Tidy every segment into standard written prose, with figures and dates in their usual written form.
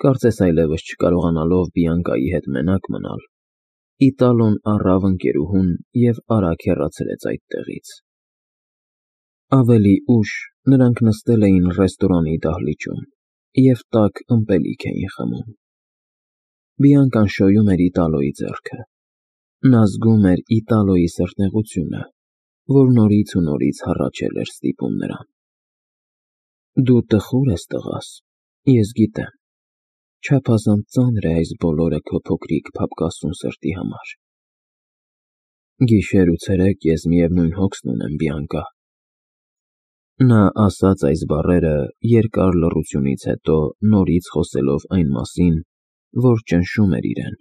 Կարծես այլևս չկարողանալով Բիանկայի հետ մենակ մնալ, Իտալոն առավ ընկերուհուն և արագ հեռացրեց այդտեղից։ Ավելի ուշ նրանք նստել էին ռեստորանի դահլիճում և տաք ըմպելիք էին խմում։ Բիանկան շոյում էր Իտալոյի ձեռքը։ Նա զգում էր Իտալոյի սրտնեղությունը, որ նորից ու նորից հառաչել էր ստիպում նրան։ Դու տխուր ես, տղաս, ես գիտեմ, չափազանց ծանր է այս բոլորը քո փոքրիկ փափկասուն սրտի համար։ Գիշեր ու ցերեկ ես միևնույն հոգսն ունեմ, Բիանկա։ Նա ասաց այս բառերը երկար լռությունից հետո, նորից խոսելով այն մասին, որ ճնշում էր իրեն,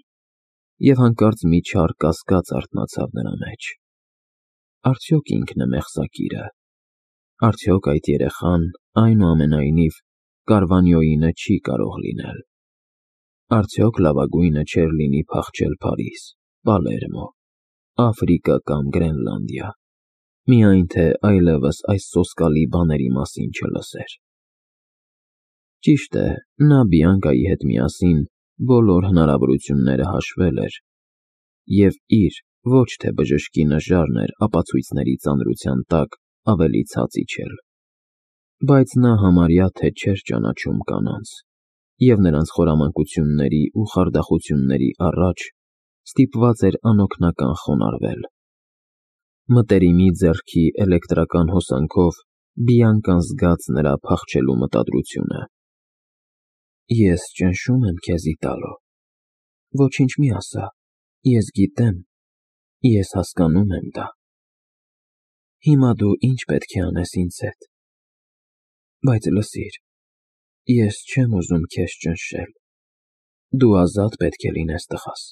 և հանկարծ մի չար կասկած արթնացավ նրա մեջ։ Արդյոք ինքն է մեղսակիրը։ Արդյոք այդ երեխան, այնուամենայնիվ, Կարվանյոյինը չի կարող լինել։ Արդյոք լավագույնը չէր լինի փախչել Փարիզ, Պալերմո, Աֆրիկա կամ Գրենլանդիա, միայն թե այլևս այս սոսկալի բաների մասին չլսեր։ Ճիշտ է, նա Բիանկայի հետ միասին բոլոր հնարավորությունները հաշվել էր և իր ոչ թե բժշկի նժարն էր ապացույցների ծանրության տակ ավելի ցած իջել, բայց նա համարյա թե չէր ճանաչում կանանց և նրանց խորամանկությունների ու խարդախությունների առաջ ստիպված էր անօգնական խոնարհվել։ Մտերիմի ձեռքի էլեկտրական հոսանքով Բիանկան զգաց նրա փախչելու մտադրությունը։ Ես ճնշում եմ քեզ, Իտալո։ Ոչինչ մի ասա, ես գիտեմ, ես հասկանում եմ դա։ Հիմա դու ինչ պետք է անես ինձ հետ։ Բայց լսիր, ես չեմ ուզում քեզ ճնշել։ Դու ազատ պետք է լինես, տղաս։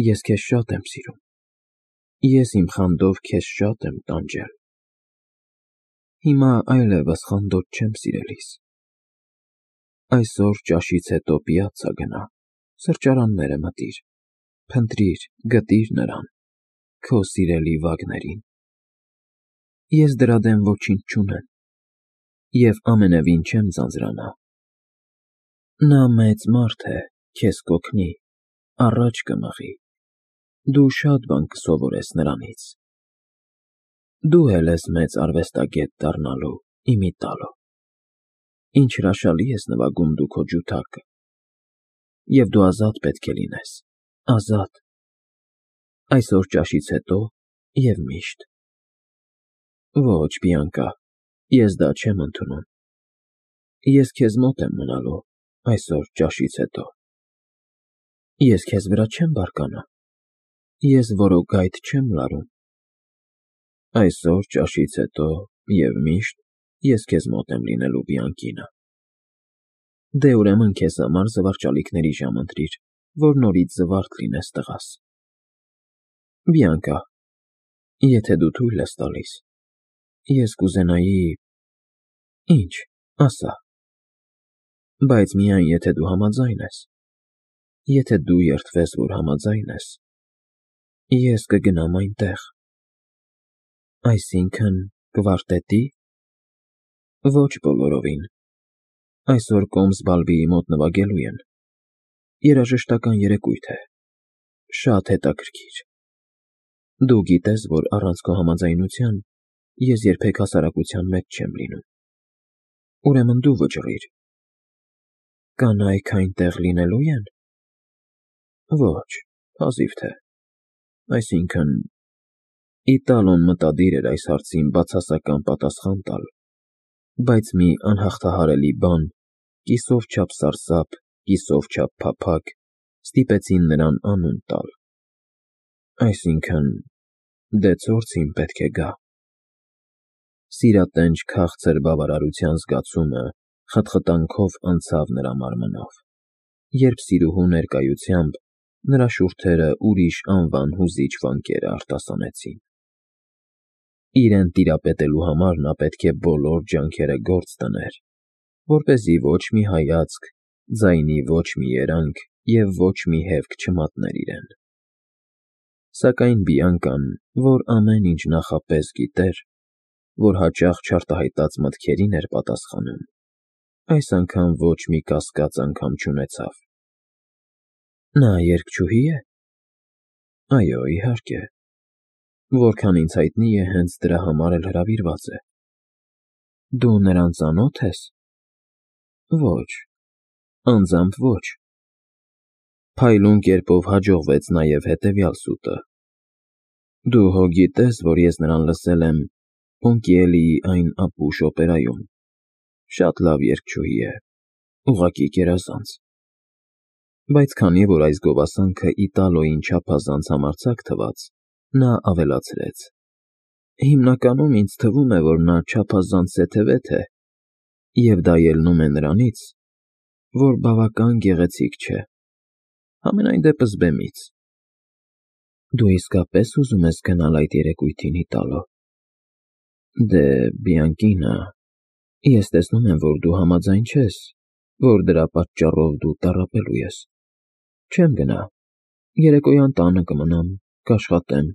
Ես քեզ շատ եմ սիրում։ Ես իմ խանդով քեզ շատ եմ տանջել։ Հիմա այլևս խանդոտ չեմ, սիրելիս։ Այսօր ճաշից հետո պիացցա գնա, սրճարանները մտիր, փնտրիր, գտիր նրան, քո սիրելի Վագներին։ Ես դրա դեմ ոչինչ չունեմ և ամենևին չեմ ձանձրանա։ Նա մեծ մարդ է, քեզ կօգնի, առաջ կմղի, դու շատ բան կսովորես նրանից։ Դու էլ ես մեծ արվեստագետ դառնալու, իմ Իտալո։ Ինչ հրաշալի ես նվագում դու քո ջութակը։ Եվ դու ազատ պետք է լինես, ազատ։ Այսօր ճաշից հետո և միշտ։ Ոչ, Բիանկա, ես դա չեմ ընդունում։ Ես քեզ մոտ եմ մնալու այսօր ճաշից հետո։ Ես քեզ վրա չեմ բարկանա։ Ես որոգայթ չեմ լարում։ Այսօր ճաշից հետո և միշտ ես քեզ մոտ եմ լինելու, Բիանկինա։ Դե ուրեմն քեզ համար զվարճալիքների ժամ ընտրիր, որ նորից զվարթ լինես, տղաս։ Բիանկա, եթե դու թույլ ես տալիս, ես կուզենայի… Ինչ, ասա։ Բայց միայն եթե դու համաձայն ես։ Եթե դու երդվես, որ համաձայն ես, ես կգնամ այնտեղ։ Այսինքն՝ կվարտետի՞։ Ոչ բոլորովին։ Այսօր Կոմս֊Բալվիի մոտ նվագելու են։ Երաժշտական երեկույթ է։ Շատ հետաքրքիր։ Դու գիտես, որ առանց քո համաձայնության ես երբեք հասարակության մեջ չեմ լինում։ Ուրեմն դու վճռիր։ Կանայք այնտեղ լինելո՞ւ են։ Ոչ, հազիվ թե։ Այսինքն… Իտալոն մտադիր էր այս հարցին բացասական պատասխան տալ, բայց մի անհաղթահարելի բան, կիսով չափ սարսափ, կիսով չափ փափագ, ստիպեցին նրան անուն տալ։ Այսինքն… Դե ցորցին պետք է գա։ Սիրատենչ քաղցր բավարարության զգացումը խտխտանքով անցավ նրա մարմնով, երբ սիրուհու ներկայությամբ նրա շուրթերը ուրիշ անվան հուզիչ վանկերը արտասանեցին։ Իրեն տիրապետելու համար նա պետք է բոլոր ջանքերը գործ դներ, որպեսզի ոչ մի հայացք, ձայնի ոչ մի երանգ և ոչ մի հևք չմատներ իրեն։ Սակայն Բիանկան, որ ամեն ինչ նախապես գիտեր, որ հաճախ չարտահայտած մտքերին էր պատասխանում, այս անգամ ոչ մի կասկած անգամ չունեցավ։ Նա երգչուհի է։ Այո, իհարկե։ Որքան ինձ հայտնի է, հենց դրա համար էլ հրավիրված է։ Դու նրան ծանոթ ես։ Ոչ, անձամբ ոչ։ Փայլուն կերպով հաջողվեց նաև հետևյալ սուտը. Դու հո գիտես, որ ես նրան լսել եմ Պոնկիելիի այն ապուշ օպերայում։ Շատ լավ երգչուհի է, ուղղակի գերազանց։ Բայց քանի որ այս գովասանքը Իտալոյին չափազանց համարձակ թվաց, նա ավելացրեց. Հիմնականում ինձ թվում է, որ նա չափազանց սեթևեթ է, և դա ելնում է նրանից, որ բավական գեղեցիկ չէ, համենայն դեպս բեմից։ Դու իսկապես ուզում ես գնալ այդ երեկույթին Իտալո։ Դե, Բիանկինա, ես տեսնում եմ, որ դու համաձայն չես, որ դրա պատճառով դու տառապելու ես։ Չեմ գնա, երեկոյան տանը կմնամ, կաշխատեմ,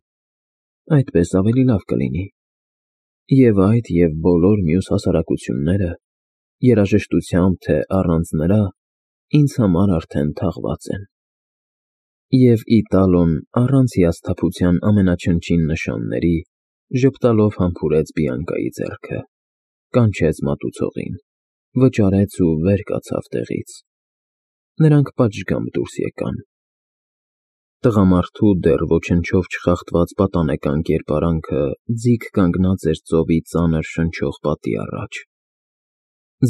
այդպես ավելի լավ կլինի։ Եվ այդ և բոլոր մյուս հասարակությունները, երաժշտությամբ թե առանց նրա, ինձ համար արդեն թաղված են։ Եվ Իտալոն առանց հիասթափության ամենաչնչին նշանների ժպտալով համբուրեց Բիանկայի ձեռքը, կանչեց մատուցողին, վճարեց ու վեր կացավ տեղից։ Նրանք պատշգամբ դուրս եկան։ Տղամարդու դեռ ոչնչով չխախտված պատանեկան կերպարանքը ձիգ կանգնած էր ծովի ծանր շնչող պատի առաջ։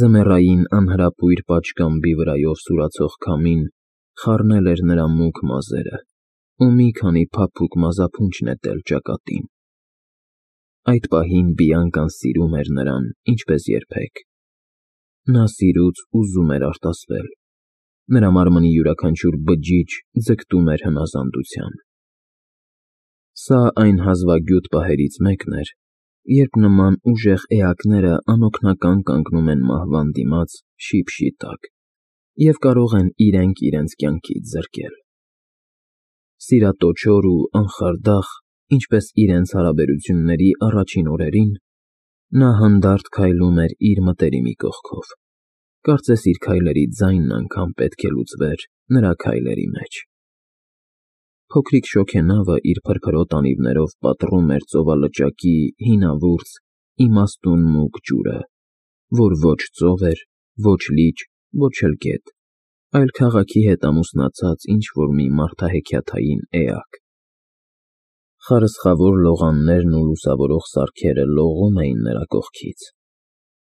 Ձմեռային անհրապույր պատշգամբի վրայով սուրացող քամին խառնել էր նրա մուգ մազերը ու մի քանի փափուկ մազափունչ նետել ճակատին։ Այդ պահին Բիանկան սիրում էր նրան, ինչպես երբեք։ Նա սիրուց ուզում էր արտասվել։ Նրա մարմնի յուրաքանչյուր բջիջ ձգտում էր հնազանդության։ Սա այն հազվագյուտ պահերից մեկն էր, երբ նման ուժեղ էակները անօգնական կանգնում են մահվան դիմաց շիպշի տակ և կարող են իրենք իրենց կյանքից զրկել։ Սիրատոչոր ու անխարդախ, ինչպես իրենց հարաբերությունների առաջին օրերին, նա հանդարտ քայլում էր իր մտերիմի կողքով, կարծես իր քայլերի ձայնն անգամ պետք է լուծվեր նրա քայլերի մեջ։ Փոքրիկ շոգենավը իր փրփրոտ անիվներով պատռում էր ծովալճակի հինավուրց, իմաստուն մուգ ջուրը, որ ոչ ծով էր, ոչ լիճ, ոչ էլ գետ, այլ քաղաքի հետ ամուսնացած ինչ-որ մի մարդահեքիաթային էակ։ Խարսխավոր լողաններն ու լուսավորող սարքերը լողում էին նրա կողքից։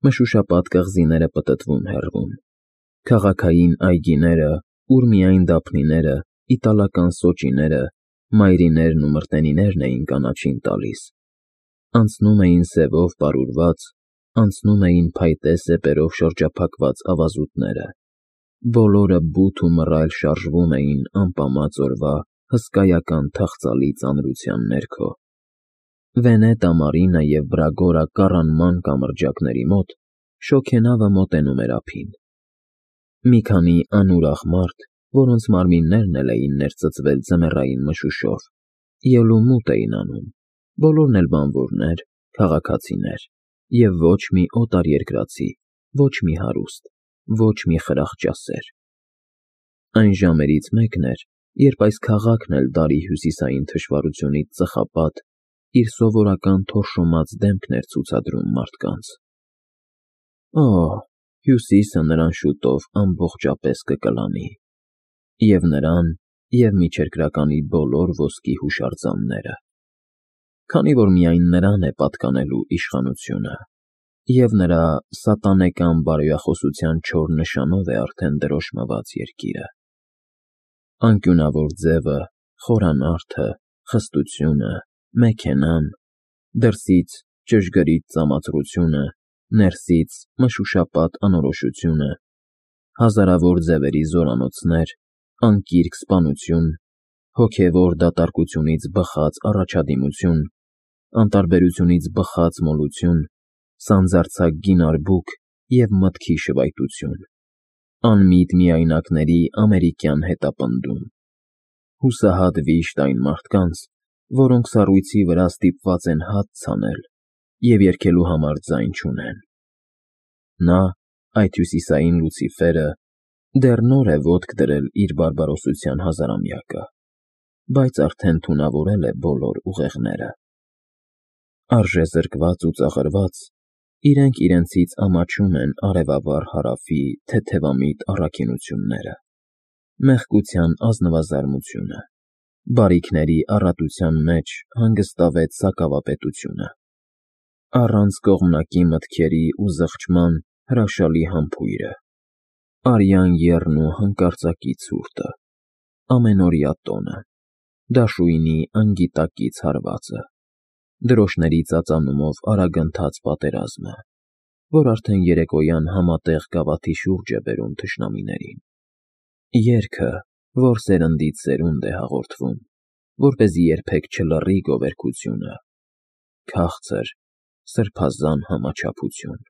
Մշուշապատ կղզիները պտտվում հեռվում։ Քաղաքային այգիները, ուր միայն դափնիները, իտալական սոճիները, մայրիներն ու մրտենիներն էին կանաչին տալիս։ Անցնում էին սևով պարուրված, անցնում էին փայտե սեպերով շրջափակված ավազուտները։ Բոլորը բութ ու մռայլ շարժվում էին անպամած օրվա հսկայական թախծալի ծանրության ներքո։ Վենետա Մարինա և Բրագորա կառանման կամրջակների մոտ շոգենավը մոտենում էր ափին։ Մի քանի անուրախ մարդ, որոնց մարմիններն էլ էին ներծծվել ձմեռային մշուշով, ելումուտ էին անում, բոլորն էլ բանվորներ, քաղաքացիներ, և ոչ մի օտարերկրացի, ոչ մի հարուստ, ոչ մի խրախճասեր։ Այն ժամերից մեկն էր, երբ այս քաղաքն էլ դարի հյուսիսային թշվառությունից ծխապատ իր սովորական թորշոմած դեմքն էր ցուցադրում մարդկանց։ Օ, Հյուսիսը նրան շուտով ամբողջապես կկլանի, և նրան, և միջերկրականի բոլոր ոսկի հուշարձանները, քանի որ միայն նրան է պատկանելու իշխանությունը, և նրա սատանեկան բարոյախոսության չոր նշանով է արդեն դրոշմված երկիրը։ Անկյունավոր ձևը, խորանարդը, խստությունը, մեքենան, դրսից ճշգրիտ ծամածրությունը, ներսից մշուշապատ անորոշությունը, հազարավոր ձևերի զորանոցներ, անկիրք սպանություն, հոգևոր դատարկությունից բխած առաջադիմություն, անտարբերությունից բխած մոլություն, սանձարձակ գին արբուք և մտքի շվայտություն, անմիտ միայնակների ամերիկյան հետապնդում, հուսահատ վիշտ այն մարդկանց, որոնք սառույցի վրա ստիպված են հատ ցանել և երգելու համար ձայն չունեն։ Նա, այդ հյուսիսային Լուցիֆերը դեռ նոր է ոտք դրել իր բարբարոսության հազարամյակը, բայց արդեն թունավորել է բոլոր ուղեղները։ Արժեզրկված ու ծաղրված, իրենք իրենցից ամաչում են արևավառ հարավի թեթևամիտ առաքինությունները, մեղկության ազնվազարմությունը, բարիքների առատության մեջ հանգստավետ սակավապետությունը, առանց կողմնակի մտքերի ու զղջման հրաշալի համբույրը, արյան եռն ու հանկարծակի ցուրտը, ամենօրյա տոնը, դաշույնի անգիտակից հարվածը, դրոշների ծածանումով արագընթաց պատերազմը, որ արդեն երեկոյան համատեղ գավաթի շուրջ է բերում թշնամիներին, երգը, որ սերնդից սերունդ է հաղորդվում, որպեսզի երբեք չլռի գովերգությունը, քաղցր, սրբազան համաչափություն։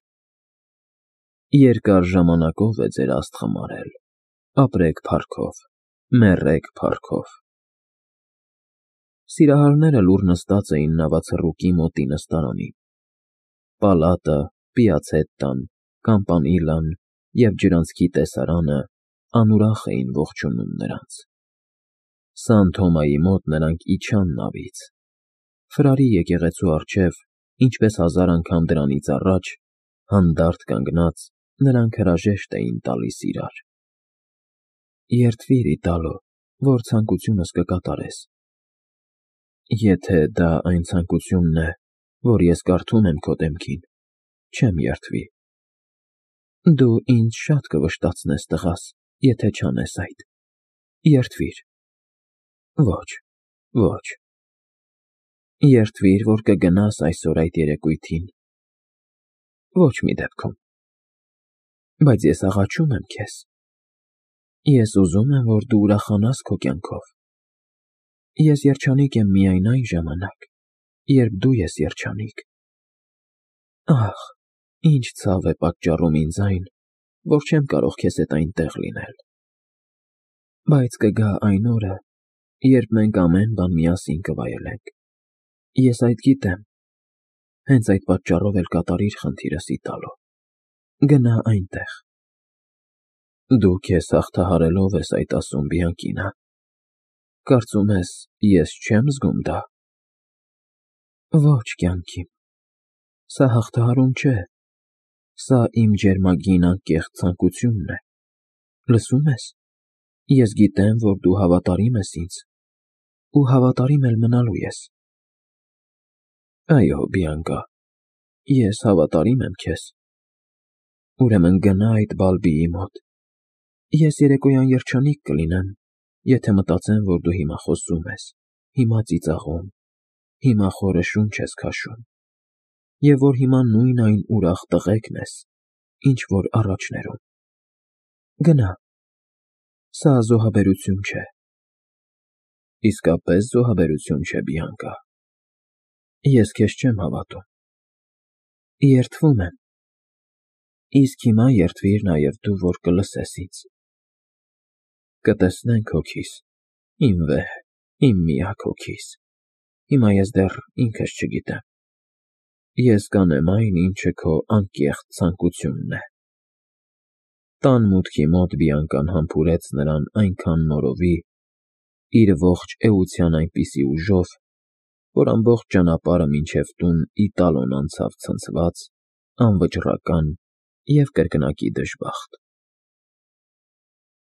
Երկար ժամանակով է ձեր աստ խմարել, ապրեք փառքով, մեռեք փառքով։ Սիրահարները լուռ նստած էին նավացռուկի մոտի նստարանին։ Պալատը, Պիացետտան, Կամպանիլան և ջրանցքի տեսարանը անուրախ էին ողջունում նրանց։ Սան Թոմայի մոտ նրանք իջան նավից։ Ֆրարի եկեղեցու առջև, ինչպես 1000 անգամ դրանից առաջ, հանդարտ կանգնած, նրանք հրաժեշտ էին տալիս իրար։ Երդվիր, Իտալո, որ ցանկությունս կկատարես։ Եթե դա այն ցանկությունն է, որ ես կարդում եմ քո դեմքին, չեմ երդվի։ Դու ինձ շատ կվշտացնես, տղաս, եթե չանես այդ։ Երդվիր։ Ոչ, ոչ։ Երդվիր, որ կգնաս այսօր այդ երեկույթին։ Ոչ մի դեպքում։ Բայց ես աղաչում եմ քեզ։ Ես ուզում եմ, որ դու ուրախանաս քո կյանքով։ Ես երջանիկ եմ միայն այն ժամանակ, երբ դու ես երջանիկ։ Ահ, ինչ ցավ է պատճառում ինձ այն, որ չեմ կարող քեզ հետ այնտեղ լինել։ Բայց կգա այն օրը, երբ մենք ամեն բան միասին կվայելենք։ Ես այդ գիտեմ։ Հենց այդ պատճառով էլ կատարիր խնդիրս, Իտալո։ Գնա այնտեղ։ Դու քեզ հաղթահարելով ես այդ ասում, Բիանկինա։ Կարծում ես, ես չեմ զգում դա։ Ոչ, կյանքիմ։ Սա հաղթահարում չէ։ Սա իմ ջերմագին անկեղծ ցանկությունն է։ Լսում ես։ Ես գիտեմ, որ դու հավատարիմ ես ինձ, ու հավատարիմ էլ մնալու ես։ Այո, Բիանկա, ես հավատարիմ եմ քեզ։ Ուրեմն գնա այդ Բալբիի մոտ։ Ես երեկոյան երջանիկ կլինեմ, եթե մտածեմ, որ դու հիմա խոսում ես, հիմա ծիծաղում, հիմա խորը շունչ ես քաշում, և որ հիմա նույն այն ուրախ տղեկն ես, ինչ որ առաջներում։ Գնա։ Սա զոհաբերություն չէ։ Իսկապես զոհաբերություն չէ, Բիանկա։ Ես քեզ չեմ հավատում։ Երդվում եմ։ Իսկ հիմա երդվիր նաև դու, որ կլսես ինձ։ Կտեսնենք հոգիս, իմ վեհ, իմ միակ հոգիս։ Հիմա ես դեռ ինքս չգիտեմ։ Ես կանեմ այն, ինչը քո անկեղծ ցանկությունն է։ Տան մուտքի մոտ Բիանկան համբուրեց նրան այնքան նորովի, իր ողջ էության այնպիսի ուժով, որ ամբողջ ճանապարհը մինչև տուն Իտալոն անցավ ցնցված, անվճռական և կրկնակի դժբախտ։